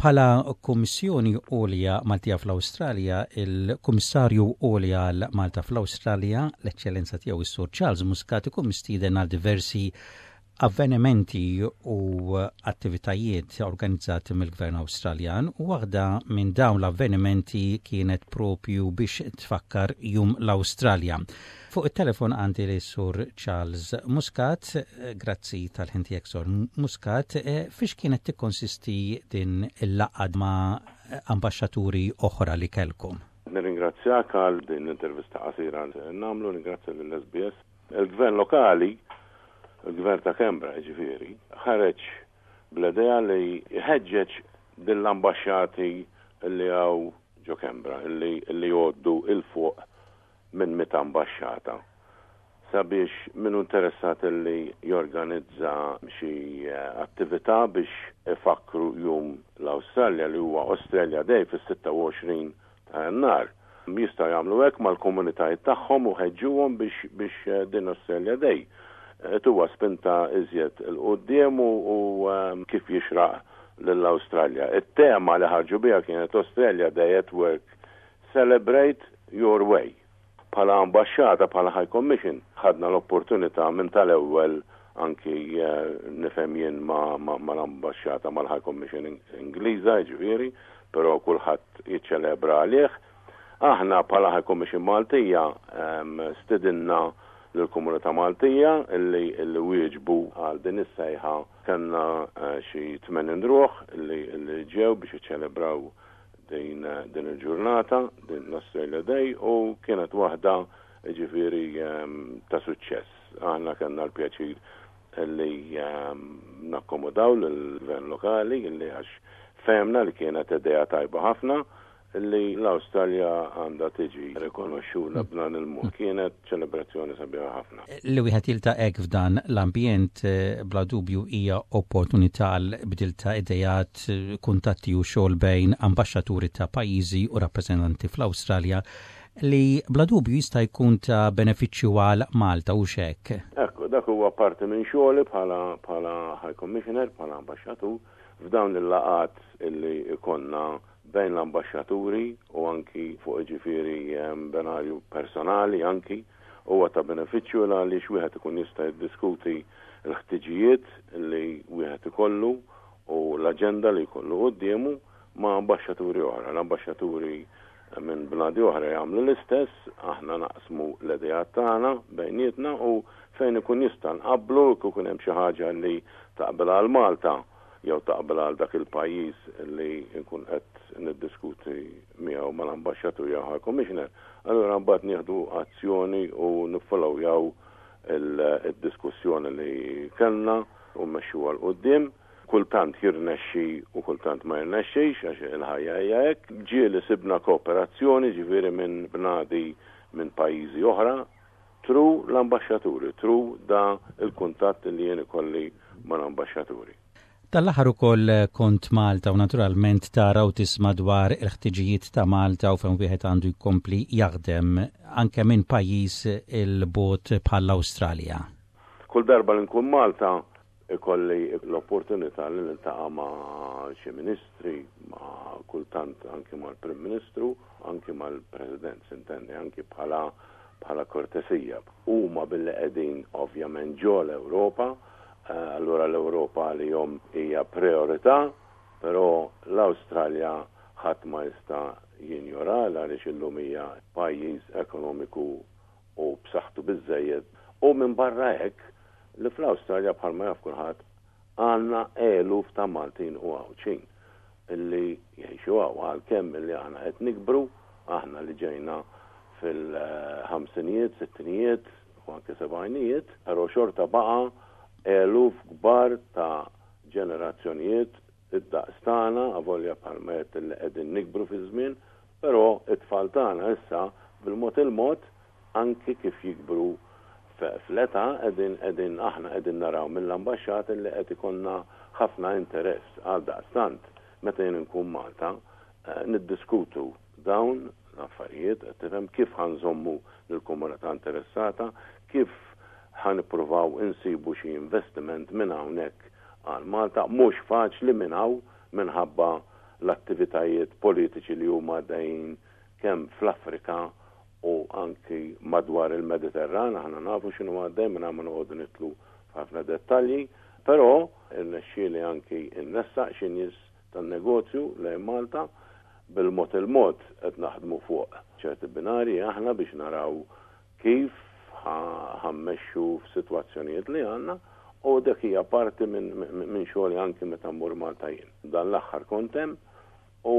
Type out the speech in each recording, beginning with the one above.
Bħala Kummissjoni Għolja Maltija fl-Awstralja, il-Kummissarju Għoli għal Malta fl-Awstralja, l-Eċċellenza tiegħu s-Sur Charles Muscat ikun mistieden għal diversi avvenimenti u attivitajiet organizzati mill-Gvern Awstraljan u waħda minn dawn l-avvenimenti kienet propju biex tfakkar Jum l-Awstralja. Fuq it-telefon għandi li Sur Charles Muscat, grazzi tal-ħin tiegħek Sur Muscat, fiex kienet tikkonsisti din il-laqgħa ma' ambaxxaturi oħra li kellkom? Nirringrazzjak għal din l-intervista qasira li nagħmlu, nirringrazzja lill-SBS. Il-gvern lokali, il-gvern ta' Canberra jiġifieri, ħareġ bl-idea li jħeġġeġ din l-ambaxxati li hawn ġo Canberra, li jgħoddu 'il fuq minn 100 ambaxxata, sabiex min hu interessat li jorganizza xi attività biex ifakkru Jum l-Awstralja li huwa Australia Day fis-26 ta' Jannar. Jistgħu jagħmlu hekk mal-komunitajiet tagħhom u ħeġġuhom biex biex din Australia Day tuha spinta iżjed 'il quddiem u kif jixraq lill-Awstralja. It-tema li ħarġu biha kienet Australia Day at Work, Celebrate Your Way. Bħala ambaxxata, bħala High Commission, ħadna l-opportunità minn tal-ewwel anki nifhem jien mal-ambaxxata mal-High Commission Ingliża, jiġifieri, però kulħadd jiċċelebra għalih. Aħna bħala High Commission Maltija stidinna lill-komunità Maltija illi illi wieġbu għal din is-sejħa. Kellna xi 80 ruħ illi illi ġew biex jiċċelebraw din din il-ġurnata, din l-Australia Day u kienet waħda ġifieri ta' suċċess. Aħna kellna l-pjaċir li nakkomodaw lill-gvern lokali li għax fehmna li kienet idea tajba ħafna li l-Awstralja għandha tiġi rikonoxxuta b'dan il-mod. Kienet ċelebrazzjoni sabiħa ħafna. Li wieħed jiltaqa' hekk f'dan l-ambjent bla dubju hija opportunità għal bdil ta' ideat, kuntatti u xogħol bejn ambaxxaturi ta' pajjiżi u rappreżentanti fl-Awstralja li bla dubju jista' jkun ta' benefiċċju għal Malta, hux hekk? Ekku, dak huwa parti minn xogħli bħala bħala High Commissioner, bħala ambaxxatur, f'dawn il-laqgħat illi jkollna bejn l-ambaxxaturi u anki fuq jiġifieri benarju personali anki, huwa ta' benefiċċju għaliex wieħed ikun jista' jiddiskuti l-ħtiġijiet li wieħed ikollu u l-aġenda li jkollu quddiemu ma' ambaxxaturi oħra. L-ambaxxaturi minn bnadi oħra jagħmlu l-istess, aħna naqsmu l-ideat tagħna bejnietna u fejn ikun jista' nqabblu jekk ikun hemm xi ħaġa li taqbel għal Malta jew taqbel għal dak il-pajjiż li nkun qed niddiskuti miegħu mal-ambaxxatur jew High Commissioner, allura mbagħad nieħdu azzjoni u niffollowjaw id-diskussjoni li kellna u mmexxuha 'l quddiem. Kultant jirnexxi u kultant ma jirnexxix għax il-ħajja hija hekk. Ġieli sibna kooperazzjoni ġifieri minn bnadi minn pajjiżi oħra through l-ambaxxaturi, through da l-kuntatt li jien ikolli mal-ambaxxaturi. Tal-aħħar ukoll kont Malta u naturalment tara u tisma' dwar il-ħtiġijiet ta' Malta u fejn wieħed għandu jkompli jaħdem anke minn pajjiż 'il bogħod bħall-Awstralja. Kull darba li nkun Malta Ikolli l-opportunità li niltaqa' ma' xi ministri, ma' kultant anki mal-Prim Ministru, anki mal-President, sintendi, anki bħala bħala kortesija. Huma billi qegħdin ovvjament ġo l-Ewropa, allura l-Ewropa għalihom hija prijorità, però l-Awstralja ħadd ma jista' jinjora għaliex illum hija pajjiż ekonomiku u b'saħħtu biżżejjed u minbarra hekk li fl-Awstralja bħalma jaf kulħadd għandna eluf ta' Maltin u Għawdxin illi jgħixu hawn għalkemm illi aħna qed nikbru, aħna li ġejna fil-ħamsinijiet, sittinijiet u anke sebgħinijiet, però xorta baqa' eluf kbar ta' ġenerazzjonijiet id-daqs tagħna, avolja bħalma għedt illi qegħdin nikbru fiż-żmien, però t-tfal tagħna issa bil-mod il-mod anki kif jikbru fl-età qegħdin qegħdin aħna qegħdin naraw mill-ambaxxata illi qed ikollna ħafna interess. Għaldaqstant meta jien inkun Malta niddiskutu dawn l-affarijiet, qed tifhem, kif ħa nżommu lill-komunità interessata, kif ħa nippruvaw insibu xi investiment minn hawnhekk għal Malta. Mhux faċli minn hawn minħabba l-attivitajiet politiċi li huma għaddejjin kemm fl-Afrika u anki madwar il-Mediterran, aħna nafu x'inhu għaddej mingħajr ma noqogħdu nidħlu f'ħafna dettalji, però irnexxieli anki nressaq xi nies tan-negozju lejn Malta. Bil-mod il-mod qed naħdmu fuq ċerti binarji aħna biex naraw kif ħa mmexxu f'sitwazzjonijiet li għandna u dik hija parti minn xogħli anki meta mmur Malta jien. Dan l-aħħar kont hemm u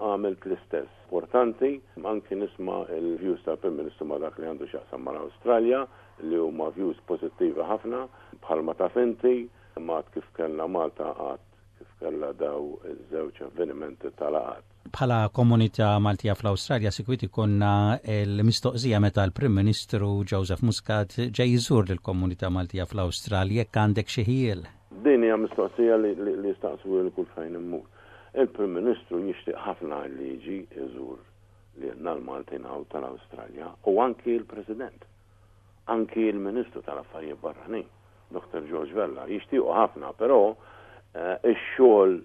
għamilt l-istess. Importanti anki nisma' l-views tal-Prim Ministru ma' dak li għandu x'jaqsam mal-Awstralja li huma views pożittivi ħafna bħalma taf inti, m'għad kif kellna Malta għad kif kellha daw iż-żewġ avvenimenti ta' laqgħat. Bħala komunità Maltija fl-Awstralja sikwit ikollna l-mistoqsija meta l-Prim Ministru Joseph Muscat ġej iżur lill-komunità Maltija fl-Awstralja jekk għandek xi ħjiel. Din hija mistoqsija li jistaqsuli kull fejn immur. Il-Prim Ministru jixtieq ħafna li jiġi jżur lilna l-Maltin hawn tal-Awstralja u anki l-President. Anki l-Ministru tal-Affarijiet Barranin, Dottor George Vella, jixtiequ ħafna, però ix-xogħol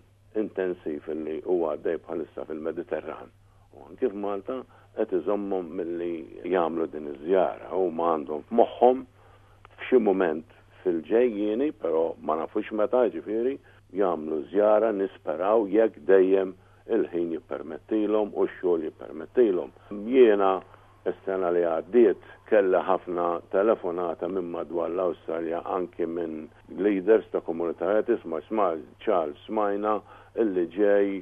intensiv li huwa għaddej bħalissa fil-Mediterran u anki f'Malta qed iżommhom milli jagħmlu din iż-żjara. Huma għandhom f'moħħhom f'xi mument fil-ġejjieni, però ma nafux meta, jiġifieri, jagħmlu żjara nisperaw jekk dejjem il-ħin jippermettilhom u x-xogħol jippermettilhom. Jiena Is-sena li għaddiet kelli ħafna telefonata minn madwar l-Awstralja anki minn leaders ta' komunitajiet, isma' isma' Charles smajna illi ġej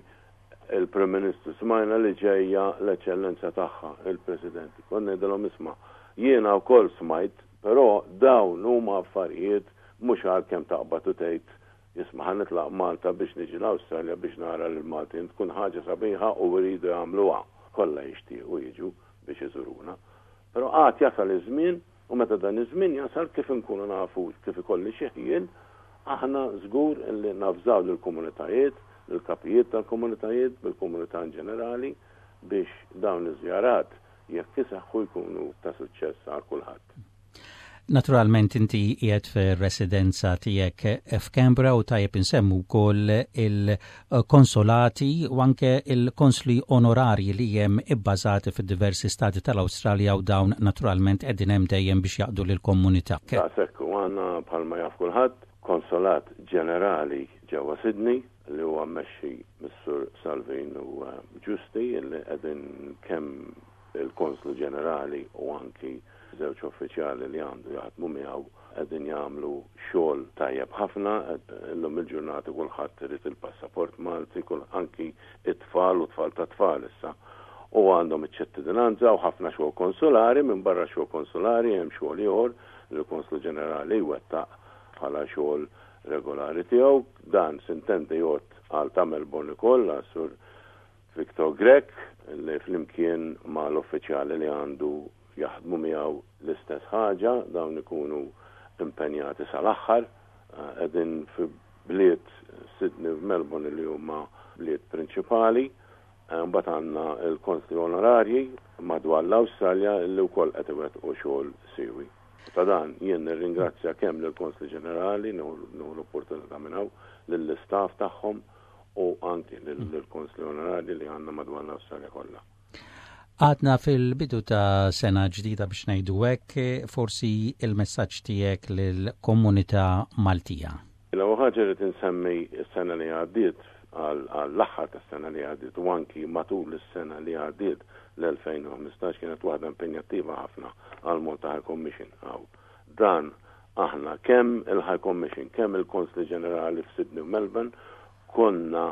il-Prim Ministru, smajna li ġejja l-Eċċellenza Tagħha, il-President. Kont ngħidilhom isma' jiena wkoll smajt, però dawn huma affarijiet mhux għalkemm taqbad u tgħid isma' ħa nitlaq Malta biex niġi l-Awstralja biex nara lill-Maltin. Tkun ħaġa sabiħa u jridu jagħmluha. Kollha jixtiequ jiġu biex iżuruna. Però għad jasal iż-żmien u meta dan iż-żmien jasal kif inkunu nafu kif ikolli xi ħjiel, aħna żgur li navżaw lill-komunitajiet, lill-kapijiet tal-komunitajiet, bil-komunità in ġenerali biex dawn iż-żjarat jekk iseħħu jkunu ta' suċċess għal kulħadd. Naturalment inti qiegħed fir-residenza tiegħek f'Canberra u tajjeb insemmu wkoll il-konsolati u anke il-konsli onorarji li hemm ibbażati fid-diversi stati tal-Awstralja u dawn naturalment qegħdin hemm dejjem biex jaqdu lill-komunità. Daqshekk u għandna bħalma jaf kulħadd Konsolat Ġenerali ġewwa Sydney li huwa mmexxi mis-Sur Salvino Giusti li qegħdin kemm Il-Konslu Ġenerali u anki żewġ uffiċjali li għandu jaħdmu miegħu qegħdin jagħmlu xogħol tajjeb ħafna. Illum il-ġurnata kulħadd irid il-passaport Malti, anki t-tfal u tfal tat-tfal issa. U għandhom iċ-ċittadinanza u ħafna xogħol konsulari, minbarra xogħol konsulari hemm xogħol ieħor li l-Konslu Ġenerali jwettaq bħala xogħol regolari tiegħu. Dan sintendi jgħodd għal ta' Melbourne ukoll, għas-Sur Victor Grech li flimkien ma' l-uffiċjali li għandu jaħdmu miegħu l-istess ħaġa, dawn ikunu impenjati sal-aħħar. Qegħdin fi bliet Sydney u Melbourne li huma bliet prinċipali. Mbagħad għandna l-konsli onorarji madwar l-Awstralja li wkoll qed iwettqu xogħol siewi. Ta' dan jien nirringrazzja kemm lill-Konsli Ġenerali, nieħu l-opportunità minn hawn, lill-istaff tagħhom, u anki lill-konsli onorarji li għandna madwar l-Awstralja kollha. Għadna fil-bidu ta' sena ġdida biex ngħidu hekk, forsi il-messaġġ tiegħek lill-komunità Maltija. L-ewwel ħaġa rrid insemmi s-sena li għaddiet għall-aħħar tas-sena li għaddiet u anki matul is-sena li għaddiet l-2015 kienet waħda impenjattiva ħafna għal Malta High Commission hawn. Dan aħna kemm il-High Commission, kemm il-Konsli Ġenerali f'Sydney u Melbourne konna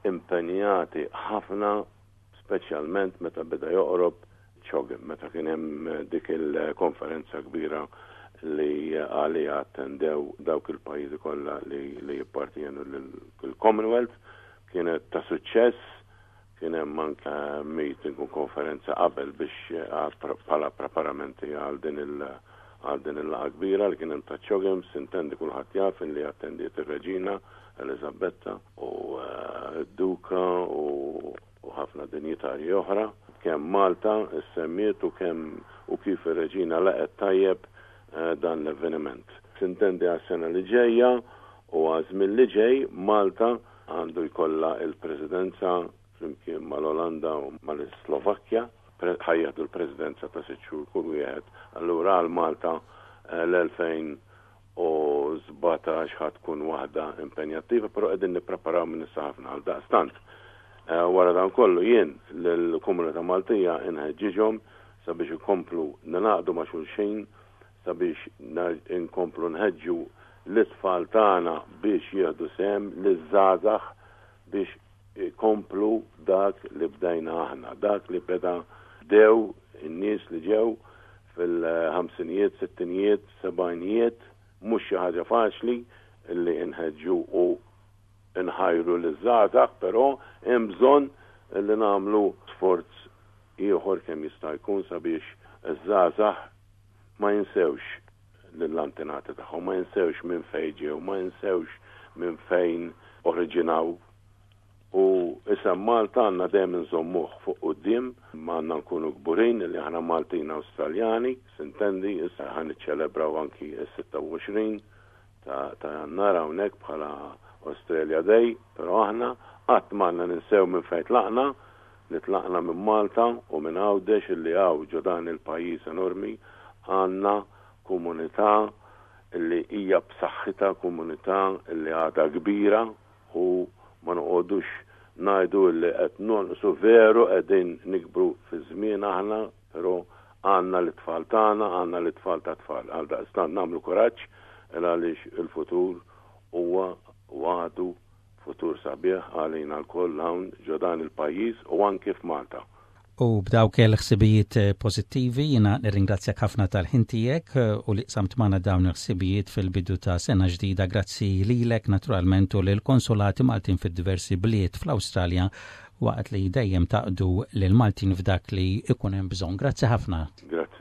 impenjati ħafna speċjalment meta beda joqrob CHOGM, meta kien hemm dik il-konferenza kbira li għaliha attendew dawk il-pajjiżi kollha li jippartjenu lill-Commonwealth. Kienet ta' suċċess, Kien hemm anke meeting u konferenza qabel biex bħala preparamenti għal din il għal din il-laqgħa kbira li kien hemm ta' CHOGM, sintendi kulħadd jaf illi attendiet ir-Reġina Eliżabetta u d-Duka u ħafna dinjitarji oħra. Kemm Malta ssemmiet u kemm u kif ir-Reġina laqgħet tajjeb dan l-avveniment. Sintendi għas-sena li ġejja u għaż-żmien li ġej Malta. għandu jkollha l-Presidenza flimkien mal-Olanda u mal-Slovakkja, ħa jieħdu l-Presidenza ta' sitt xhur kull wieħed. Allura għal Malta l-2017 ħa tkun waħda impenjattiva, però qegħdin nippreparaw minn issa ħafna. Għaldaqstant, wara dan kollu jien lill-komunità Maltija inħeġġiġhom sabiex ikomplu ningħaqdu ma' xulxin sabiex inkomplu nħeġġu lit-tfal tagħna biex jieħdu sehem, liż-żgħażagħ biex ikomplu dak li bdejna aħna, dak li beda bdew in-nies li ġew fil-ħamsinijiet, sittinijiet, sebgħinijiet, mhux xi ħaġa faċli li nħeġġu u nħajru liż-żgħażagħ, però hemm bżonn li nagħmlu sforz ieħor kemm jista' jkun sabiex iż-żgħażagħ ma jinsewx lill-antenati tagħhom, ma jinsewx minn fejn ġew, ma jinsewx minn fejn oriġinaw. U isem Malta għandna dejjem inżommuh fuq quddiem, għandna nkunu kburin li aħna Maltin Awstraljani, sintendi, issa ħa niċċelebraw anki s-26 ta' Jannar hawnhekk bħala Australia Day, però aħna qatt m'għandna ninsew minn fejn tlaqna, li tlaqna minn Malta u minn Għawdex illi hawn ġo dan il-pajjiż enormi għandna komunità illi hija b'saħħitha, komunità illi għadha kbira u ma noqogħdux ngħidu illi qed nonqsu veru qegħdin nikbru fiż-żmien aħna, però għandna l-tfal tagħna, għandna l-tfal ta' tfal. Għaldaqstant nagħmlu kuraġġ għaliex il-futur huwa u għadu Futur sabiħ għalina lkoll hawn ġo dan il-pajjiż u anki f'Malta. U b'dawk il-ħsibijiet pożittivi jiena nirringrazzjak ħafna tal-ħin tiegħek u li qsamt magħna dawn il-ħsibijiet fil-bidu ta' sena ġdida. Grazzi lilek naturalment u lill-konsolati Maltin fid-diversi bliet fl-Awstralja waqt li dejjem taqdu lill-Maltin f'dak li jkun hemm bżonn. Grazzi ħafna. Grazzi.